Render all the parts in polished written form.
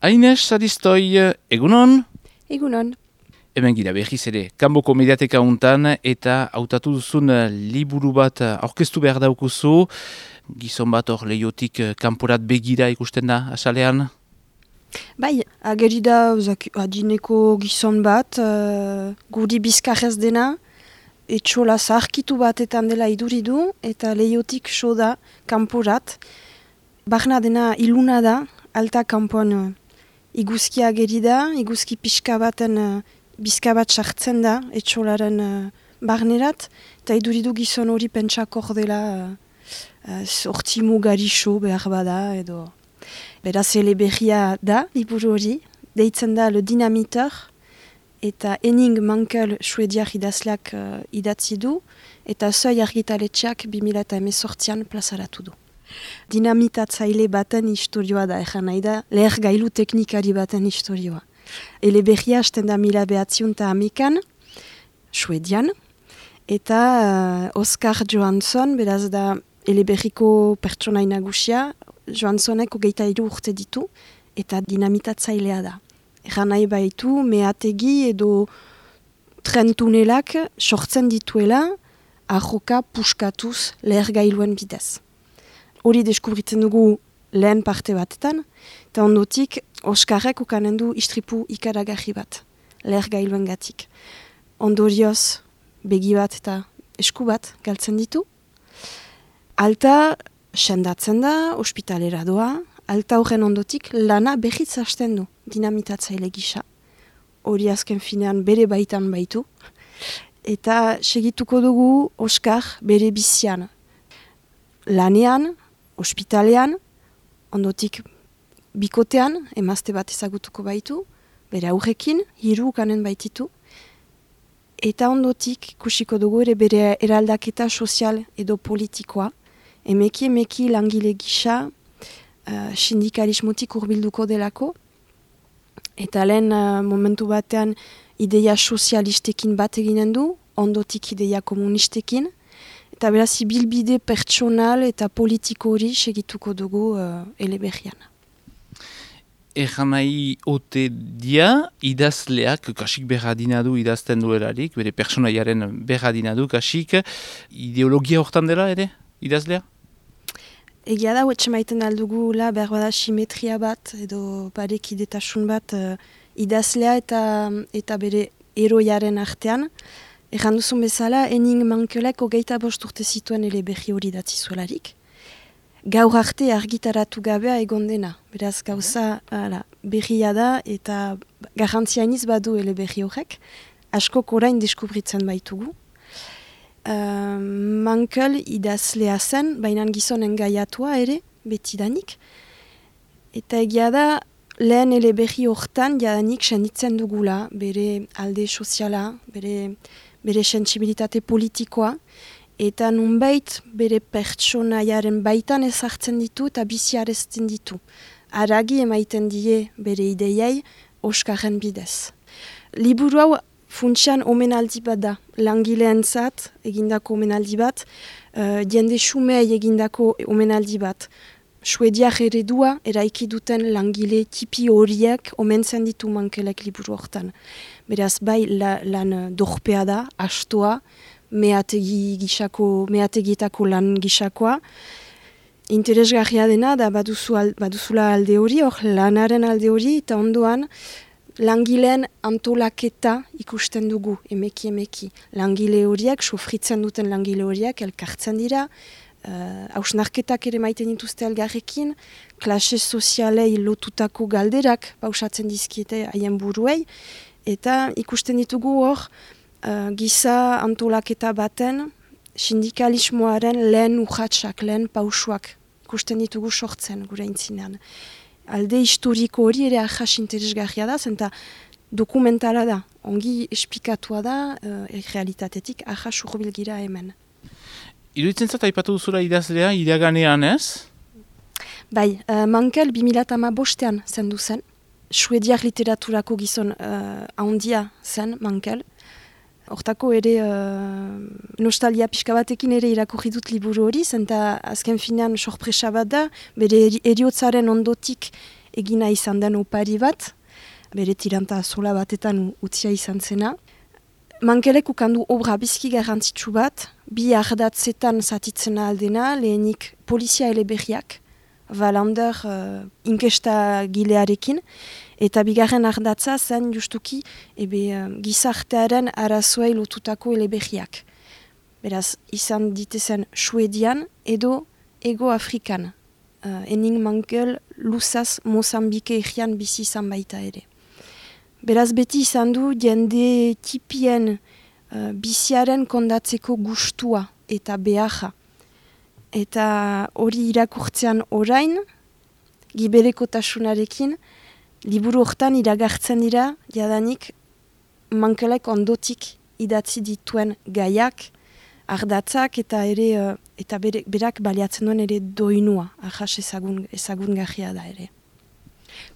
Aines Saristoi, egunon? Egunon. Hemen gira berriz ere, kanboko mediateka untan eta hautatu duzun liburu bat aurkeztu behar daukuzu, gizon bat hor lehiotik kanporat begira ikusten da, asalean? Bai, ageri da adineko gizon bat, guri bizkarrez dena, etxola zaharkitu batetan dela iduridu, eta lehiotik so da kanporat. Barna dena iluna da, alta kanpoan iguzki ageri da, iguzki pixka baten bizka bat sartzen da, etxolaren barnerat, eta iduridu gizon hori pentsakor dela sortzi mugari so behar bada, edo... Beraz, eleberria da, liburu hori, deitzen da Le Dynamiteur, eta Henning Mankell suediar idazleak idatzi du, eta Seuil argitaletxeak 2018an plazaratu du. Dinamitatzaile baten historioa da, egan nahi da, leher gailu teknikari baten historioa. Eleberria hasten da 1911an, suedian, eta Oscar Johansson, beraz da eleberriko pertsonai nagusia, Johanssonek 23 urte ditu, eta dinamitatzailea da. Egan nahi baitu, meategi edo tren tunelak sortzen dituela, ahoka puskatuz lehergailuen bidez. Hori deskubritzen dugu lehen parte batetan, eta ondotik Oskarrek ukanen du istripu ikaragarri bat, lehergailuen gatik. Ondorioz, begi bat eta esku bat galtzen ditu. Alta sendatzen da, ospitalera doa, alta horren ondotik lana berriz hasten du, dinamitatzaile gisa. Hori azken finean bere baitan baitu. Eta segituko dugu Oskar bere bizian. Lanean, ospitalean, ondotik bikotean, emazte bat ezagutuko baitu, bere aurrekin, 3 ukanen baititu. Eta ondotik ikusiko dugu ere bere eraldaketa sozial edo politikoa. Emeki langile gisa sindikalismotik hurbilduko delako. Eta lehen momentu batean ideia sozialistekin bat eginen du, ondotik ideia komunistekin. Eta beraz ibilbide pertsonal eta politiko hori segituko dugu eleberrian. Egan nahi ote dia, idazleak, kasik berradina du idazten duelarik, bere personaiaren berradina du, kasik, ideologia hortan dela ere, idazlea? Egia da, huetxe maiten aldugula, behar bada simetria bat, edo parekidetasun bat idazlea eta bere eroiaren artean. Egan duzun bezala, Henning Mankellek 25 urte zituen eleberri hori datzi zuelarik. Gaur arte argitaratu gabea egon dena. Beraz gauza berria da eta garrantziainiz badu eleberri horrek. Askok orain deskubritzen baitugu. Mankell idazlea zen, baina gizonen gaiatua ere, betidanik. Eta egia da, lehen eleberri hortan jadanik senditzen dugula, bere alde soziala, bere sentsibilitate politikoa, eta nunbait bere pertsonaiaren baitan ezartzen ditu eta biziarezten ditu. Aragi emaiten die bere ideiai Oskarren bidez. Liburu hau funtsian omenaldi bat da, langileentzat egindako omenaldi bat, jende xumei egindako omenaldi bat. Suediak eredua eraiki duten langile tipi horiek omentzen ditu Mankellek liburu hortan. Beraz bai lan dorpea da, astoa, meategietako lan gisakoa. Interesgarria dena da baduzula alde hori, hor lanaren alde hori, eta ondoan langileen antolaketa ikusten dugu, emeki. Langile horiek, sofritzen duten langile horiek, elkartzen dira, hausnarketak ere maiten dituzte elgarrekin, klase sozialei lotutako galderak pausatzen dizkiete haien buruei, eta ikusten ditugu hor, giza antolaketa baten, sindikalismoaren lehen urratsak, lehen pausuak ikusten ditugu sortzen gure intzinean. Alde historiko hori ere ahas interesgarria da, zenta dokumentala da, ongi espikatua da, realitatetik ahas urbilgira hemen. Iruditzen zat aipatu duzula idazlea, iraganean ez? Bai, Mankell 2015an zendu zen. Suediar literaturako gizon handia zen Mankell. Hortako ere nostalgia pixka batekin ere irakurri dut liburu hori, zenta azken finean sorpresa bat da, bere eriotzaren ondotik egina izan den opari bat, bere tiranta zola batetan utzia izan zena. Mankelek ukandu obra bizki garrantzitsu bat, bi ardatzetan zatitzena aldena, lehenik polizia eleberriak, Valander inkesta gilearekin, eta bigarren ardatza zen justuki gizartearen arazoei lotutako eleberriak. Beraz, izan ditezen Suedian edo Ego Afrikan. Henning Mankell luzaz Mozambike egian bizi izan baita ere. Beraz, beti izan du jende tipien biziaren kondatzeko gustua eta beharra. Eta hori irakurtzean orain, giberekotasunarekin, liburu hortan iragartzen dira, jadanik Mankellek ondotik idatzi dituen gaiak, ardatzak eta ere eta berak baliatzen duen ere doinua, ahas ezagun gajia da ere.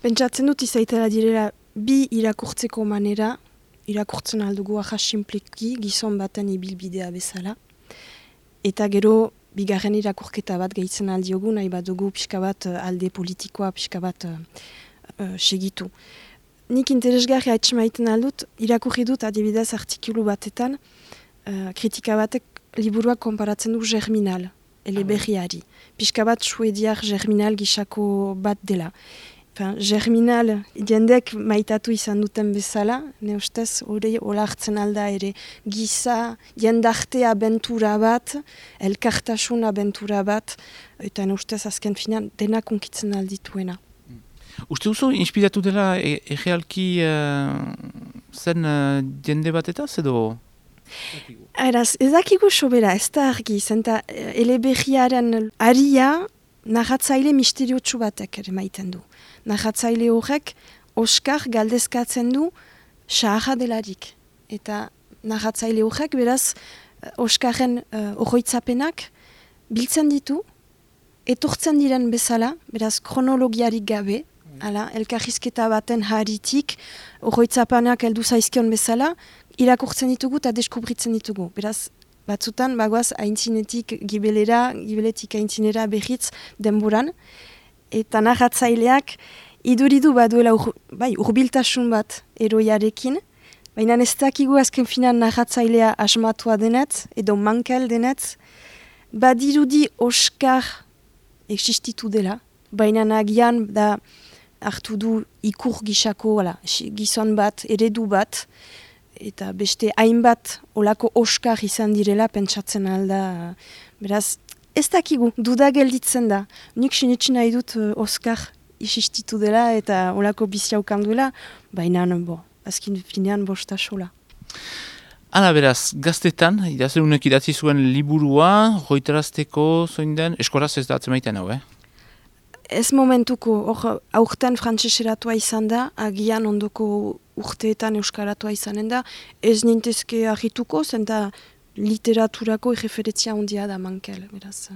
Pentsatzen dut izaitela direla bi irakurtzeko manera, irakurtzen aldugu ahas simpliki, gizon baten ibilbidea bezala, eta gero bigarren irakurketa bat gehitzen aldiogu, nahi bat dugu pixka bat alde politikoa, pixka bat segitu. Nik interesgarria etxemaiten aldut, irakurri dut adibidez artikulu batetan, kritika batek liburuak konparatzen du Germinal, eleberriari. Pixka bat suediar Germinal gisako bat dela. Germinal jendek maitatu izan duten bezala, ne ustez hori olartzen alda ere giza, jendarte abentura bat, elkartasun abentura bat, eta ne ustez azken finean denak unkitzen aldituena. Uste duzu, inspiratu dela errealki zen jende batetaz edo? Eraz, ezakigu sobera, ez da argi, zenta eleberriaren aria narratzaile misteriotsu batek ere maiten du. Narratzaile horrek Oskar galdezkatzen du saharra delarik. Eta narratzaile horrek beraz Oskarren oroitzapenak biltzen ditu, etortzen diren bezala, beraz kronologiarik gabe, elkarrizketa baten haritik, oroitzapenak heldu zaizkion bezala, irakurtzen ditugu eta deskubritzen ditugu. Beraz, batzutan, bagoaz, aintzinetik gibeletik aintzinera behitz denboran, eta narratzaileak iduridu baduela urbiltasun bat eroiarekin, baina ez dakigu azken finan narratzailea asmatua denetz, edo Mankell denetz, badirudi Oskar existitu dela, baina nagian da hartu du ikur gisako gizon bat, eredu bat, eta beste hainbat olako Oskar izan direla pentsatzen alda. Beraz, ez dakigu, duda gelditzen da. Nik sinetsi nahi dut Oskar isistitu dela eta olako biziaukan duela, baina azkin finean bosta sola. Hala beraz, gaztetan, idazlerunek idatzi zuen liburua, hoitarazteko zoin den, eskoraz ez da atzemaiten hau, Ez momentuko, aurten frantseseratua izan da, agian ondoko urteetan euskaratua izanen da, ez nintezke argituko, zenta literaturako erreferentzia handia da Mankell, beraz.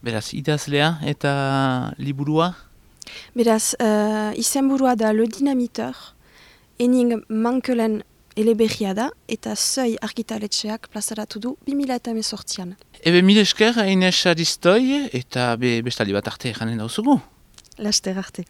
Beraz, idazlea eta liburua? Beraz, izenburua da Le Dynamiteur, Henning Mankellen eleberria da, eta Seuil argitaletxeak plazaratu du 2018an. Ebe mil esker, Ines Aristoi, eta bestaldi bat arte janen dauzugu. Laster arte.